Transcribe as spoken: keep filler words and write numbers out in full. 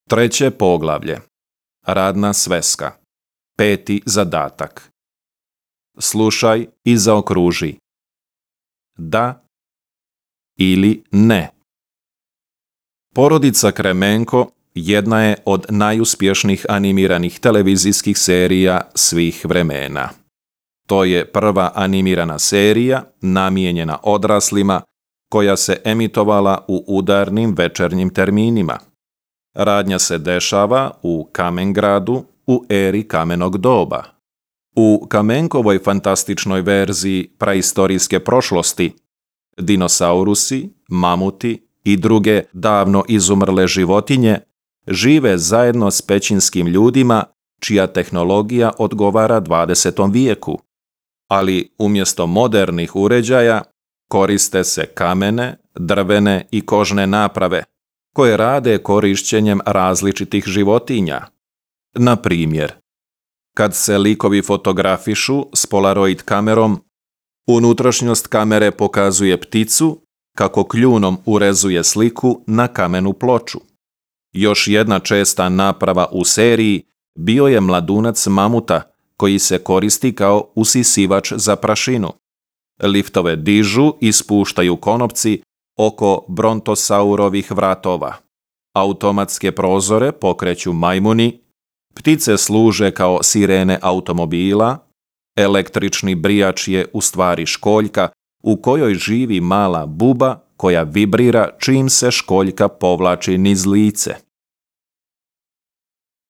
Treće poglavlje. Radna sveska. Peti zadatak. Slušaj i zaokruži. Da ili ne. Porodica Kremenko jedna je od najuspješnijih animiranih televizijskih serija svih vremena. To je prva animirana serija namijenjena odraslima koja se emitovala u udarnim večernjim terminima. Radnja se dešava u Kamengradu u eri kamenog doba. U Kamenkovoj fantastičnoj verziji praistorijske prošlosti dinosaurusi, mamuti i druge davno izumrle životinje žive zajedno s pećinskim ljudima čija tehnologija odgovara dvadesetom vijeku, ali umjesto modernih uređaja koriste se kamene, drvene i kožne naprave koje rade korišćenjem različitih životinja. Na primjer, kad se likovi fotografišu s polaroid kamerom, unutrašnjost kamere pokazuje pticu kako kljunom urezuje sliku na kamenu ploču. Još jedna česta naprava u seriji bio je mladunac mamuta koji se koristi kao usisivač za prašinu. Liftove dižu i spuštaju konopci oko brontosaurovih vratova. Automatske prozore pokreću majmuni, ptice služe kao sirene automobila, električni brijač je u stvari školjka u kojoj živi mala buba koja vibrira čim se školjka povlači niz lice.